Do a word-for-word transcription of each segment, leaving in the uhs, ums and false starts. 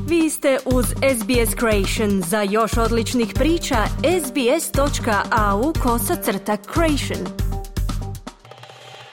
Vi ste uz S B S Creation. Za još odličnih priča, sbs.au kosacrta creation.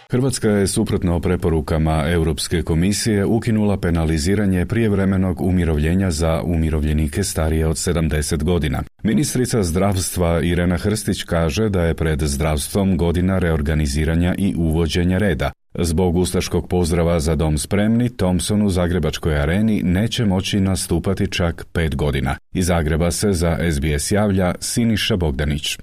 Hrvatska je suprotno preporukama Europske komisije ukinula penaliziranje prijevremenog umirovljenja za umirovljenike starije od sedamdeset godina. Ministrica zdravstva Irena Hrstić kaže da je pred zdravstvom godina reorganiziranja i uvođenja reda. Zbog ustaškog pozdrava Za dom spremni, Thompson u Zagrebačkoj areni neće moći nastupati čak pet godina. Iz Zagreba se za S B S javlja Siniša Bogdanić.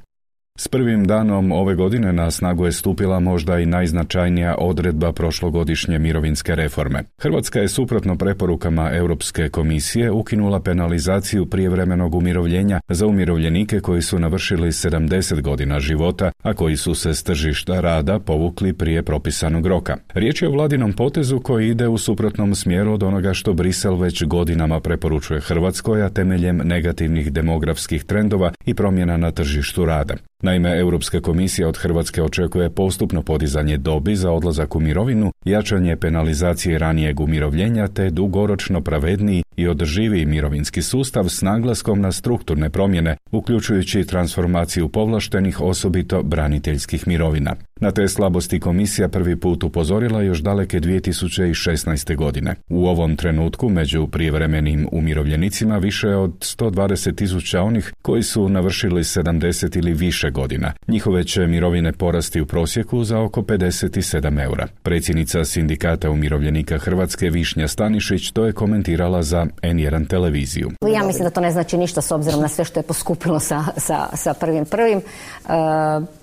S prvim danom ove godine na snagu je stupila možda i najznačajnija odredba prošlogodišnje mirovinske reforme. Hrvatska je suprotno preporukama Europske komisije ukinula penalizaciju prijevremenog umirovljenja za umirovljenike koji su navršili sedamdeset godina života, a koji su se s tržišta rada povukli prije propisanog roka. Riječ je o vladinom potezu koji ide u suprotnom smjeru od onoga što Brisel već godinama preporučuje Hrvatskoj, a temeljem negativnih demografskih trendova i promjena na tržištu rada. Naime, Europska komisija od Hrvatske očekuje postupno podizanje dobi za odlazak u mirovinu, jačanje penalizacije ranijeg umirovljenja te dugoročno pravedniji i održiviji mirovinski sustav s naglaskom na strukturne promjene, uključujući transformaciju povlaštenih, osobito braniteljskih mirovina. Na te slabosti komisija prvi put upozorila još daleke dvije tisuće šesnaeste. godine. U ovom trenutku među prijevremenim umirovljenicima više od sto dvadeset tisuća onih koji su navršili sedamdeset ili više godina. Njihove će mirovine porasti u prosjeku za oko pedeset sedam eura. Predsjednica Sindikata umirovljenika Hrvatske Višnja Stanišić to je komentirala za N jedan televiziju. Ja mislim da to ne znači ništa s obzirom na sve što je poskupilo sa, sa, sa prvim prvim. E,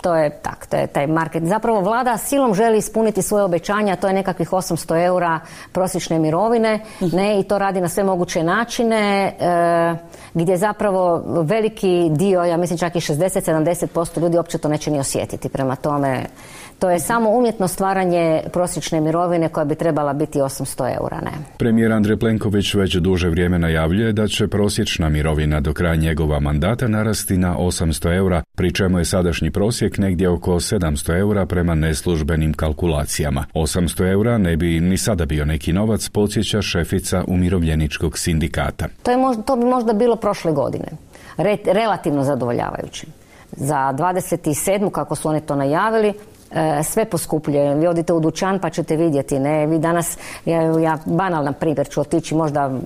to je tak, to je taj market. Zapravo vlada silom želi ispuniti svoje obećanja, to je nekakvih osamsto eura prosječne mirovine, ne, i to radi na sve moguće načine, e, gdje zapravo veliki dio, ja mislim čak i šezdeset do sedamdeset posto ljudi uopće to neće ni osjetiti. Prema tome, to je samo umjetno stvaranje prosječne mirovine koja bi trebala biti osamsto eura. Ne. Premijer Andrej Plenković već duže vrijeme najavljuje da će prosječna mirovina do kraja njegova mandata narasti na osamsto eura, pri čemu je sadašnji prosjek negdje oko sedamsto eura prema neslužbenim kalkulacijama. osamsto eura ne bi ni sada bio neki novac, podsjeća šefica umirovljeničkog sindikata. To, je možda, to bi možda bilo prošle godine. Re, relativno zadovoljavajuće. Za dvadeset sedmu kako su oni to najavili, sve poskupljuje. Vi odite u dućan pa ćete vidjeti. Ne? Vi danas, ja, ja banalan primjer ću otići, možda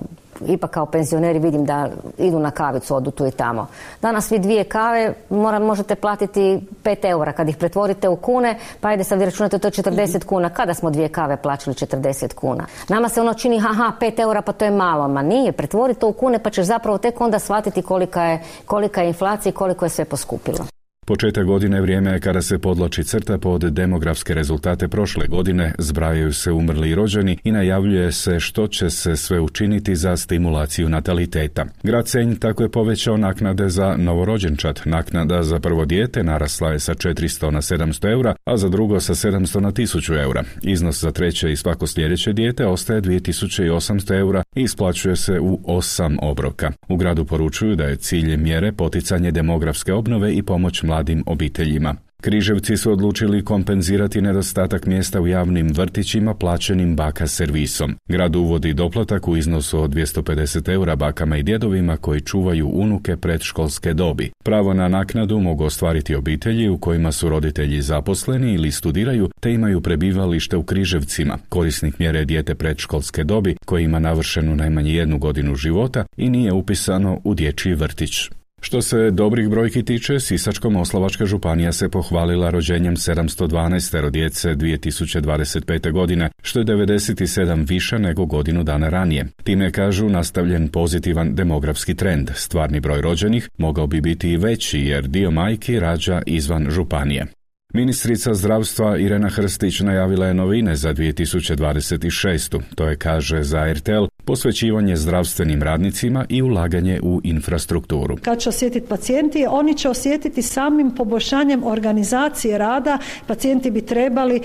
ipak kao penzioneri vidim da idu na kavicu, odu tu i tamo. Danas vi dvije kave mora, možete platiti pet eura. Kad ih pretvorite u kune, pa ajde sad vi računate to četrdeset kuna. Kada smo dvije kave plaćali četrdeset kuna? Nama se ono čini, haha, pet eura, pa to je malo. Ma nije, pretvori to u kune pa ćeš zapravo tek onda shvatiti kolika je, kolika je inflacija i koliko je sve poskupilo. Početak godine vrijeme je kada se podlači crta pod demografske rezultate prošle godine, zbrajaju se umrli i rođeni i najavljuje se što će se sve učiniti za stimulaciju nataliteta. Grad Senj tako je povećao naknade za novorođenčad. Naknada za prvo dijete narasla je sa četiristo na sedamsto eura, a za drugo sa sedamsto na tisuću eura. Iznos za treće i svako sljedeće dijete ostaje dvije tisuće osamsto eura i isplaćuje se u osam obroka. U gradu poručuju da je cilj mjere poticanje demografske obnove i pomoć mladim obiteljima. Križevci su odlučili kompenzirati nedostatak mjesta u javnim vrtićima plaćenim baka servisom. Grad uvodi doplatak u iznosu od dvjesto pedeset eura bakama i djedovima koji čuvaju unuke predškolske dobi. Pravo na naknadu mogu ostvariti obitelji u kojima su roditelji zaposleni ili studiraju te imaju prebivalište u Križevcima. Korisnik mjere je dijete predškolske dobi koji ima navršenu najmanje jednu godinu života i nije upisano u dječji vrtić. Što se dobrih brojki tiče, Sisačko-moslavačka županija se pohvalila rođenjem sedamsto dvanaest djece dvije tisuće dvadeset pete. godine, što je devedeset sedam više nego godinu dana ranije. Time kažu nastavljen pozitivan demografski trend. Stvarni broj rođenih mogao bi biti i veći jer dio majki rađa izvan županije. Ministrica zdravstva Irena Hrstić najavila je novine za dvije tisuće dvadeset šestu. To je, kaže za R T L, posvećivanje zdravstvenim radnicima i ulaganje u infrastrukturu. Kad će osjetiti pacijenti, oni će osjetiti samim poboljšanjem organizacije rada. Pacijenti bi trebali e,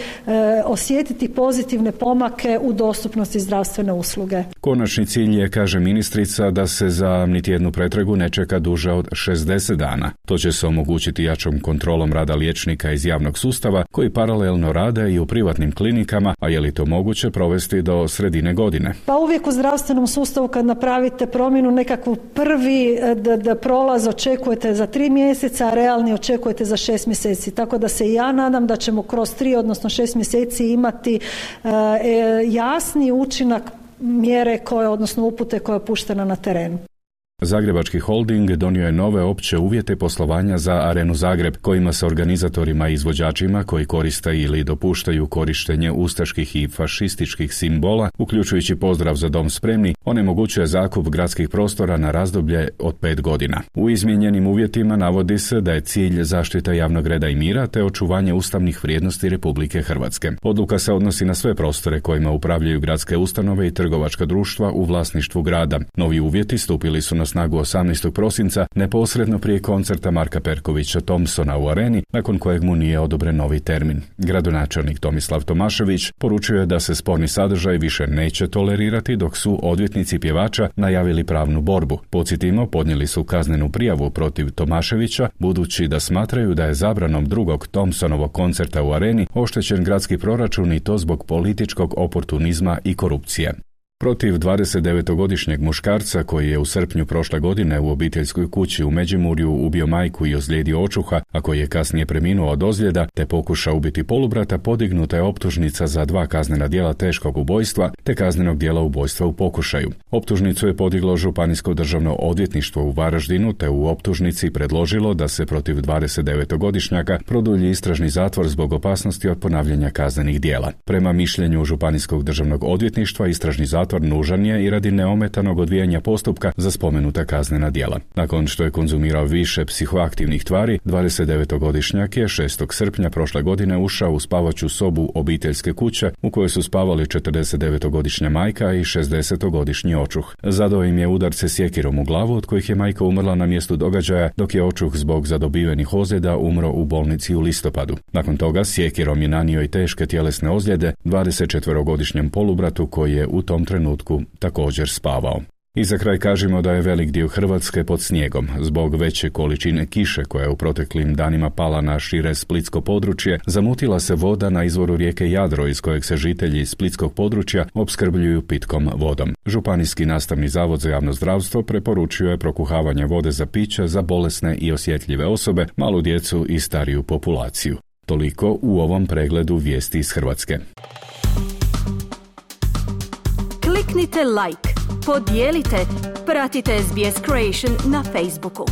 osjetiti pozitivne pomake u dostupnosti zdravstvene usluge. Konačni cilj je, kaže ministrica, da se za niti jednu pretragu ne čeka duže od šezdeset dana. To će se omogućiti jačom kontrolom rada liječnika iz javnog sustava koji paralelno rade i u privatnim klinikama, a je li to moguće provesti do sredine godine? Pa uvijek u zdravstvenom zdravstvenom sustavu kad napravite promjenu nekakvu prvi da, da prolaz očekujete za tri mjeseca, a realni očekujete za šest mjeseci. Tako da se i ja nadam da ćemo kroz tri, odnosno šest mjeseci imati e, jasni učinak mjere koje, odnosno upute koja je puštena na terenu. Zagrebački holding donio je nove opće uvjete poslovanja za Arenu Zagreb, kojima se organizatorima i izvođačima koji koriste ili dopuštaju korištenje ustaških i fašističkih simbola, uključujući pozdrav za dom spremni, onemogućuje zakup gradskih prostora na razdoblje od pet godina. U izmijenjenim uvjetima navodi se da je cilj zaštita javnog reda i mira te očuvanje ustavnih vrijednosti Republike Hrvatske. Odluka se odnosi na sve prostore kojima upravljaju gradske ustanove i trgovačka društva u vlasništvu grada. Novi uvjeti stupili su na snagu osamnaestog prosinca, neposredno prije koncerta Marka Perkovića Thompsona u Areni, nakon kojeg mu nije odobren novi termin. Gradonačelnik Tomislav Tomašević poručio je da se sporni sadržaj više neće tolerirati, dok su odvjetnici pjevača najavili pravnu borbu. Podsjetimo, podnijeli su kaznenu prijavu protiv Tomaševića, budući da smatraju da je zabranom drugog Thompsonovog koncerta u Areni oštećen gradski proračun i to zbog političkog oportunizma i korupcije. Protiv dvadesetdevetogodišnjeg muškarca koji je u srpnju prošle godine u obiteljskoj kući u Međimurju ubio majku i ozlijedio očuha, a koji je kasnije preminuo od ozljeda te pokušao ubiti polubrata, podignuta je optužnica za dva kaznena djela teškog ubojstva te kaznenog djela ubojstva u pokušaju. Optužnicu je podiglo Županijsko državno odvjetništvo u Varaždinu te u optužnici predložilo da se protiv dvadesetdevetogodišnjaka produlji istražni zatvor zbog opasnosti od ponavljanja kaznenih djela. Prema mišljenju Županijskog državnog odvjetništva istražni zatvor nužan je i radi neometanog odvijanja postupka za spomenuta kaznena djela. Nakon što je konzumirao više psihoaktivnih tvari, dvadesetdevetogodišnjak je šestog srpnja prošle godine ušao u spavaću sobu obiteljske kuće u kojoj su spavali četrdesetdevetogodišnja majka i šezdesetogodišnji očuh. Zadao im je udarce sjekirom u glavu, od kojih je majka umrla na mjestu događaja, dok je očuh zbog zadobivenih ozljeda umro u bolnici u listopadu. Nakon toga sjekirom je nanio i teške tjelesne ozljede dvadesetčetverogodišnjem polubratu koji je u tom trenutku također spavao. I za kraj kažemo da je velik dio Hrvatske pod snijegom. Zbog veće količine kiše koja je u proteklim danima pala na šire splitsko područje, zamutila se voda na izvoru rijeke Jadro iz kojeg se žitelji splitskog područja opskrbljuju pitkom vodom. Županijski nastavni zavod za javno zdravstvo preporučio je prokuhavanje vode za piće za bolesne i osjetljive osobe, malu djecu i stariju populaciju. Toliko u ovom pregledu vijesti iz Hrvatske. Kliknite like, podijelite, pratite S B S Creation na Facebooku.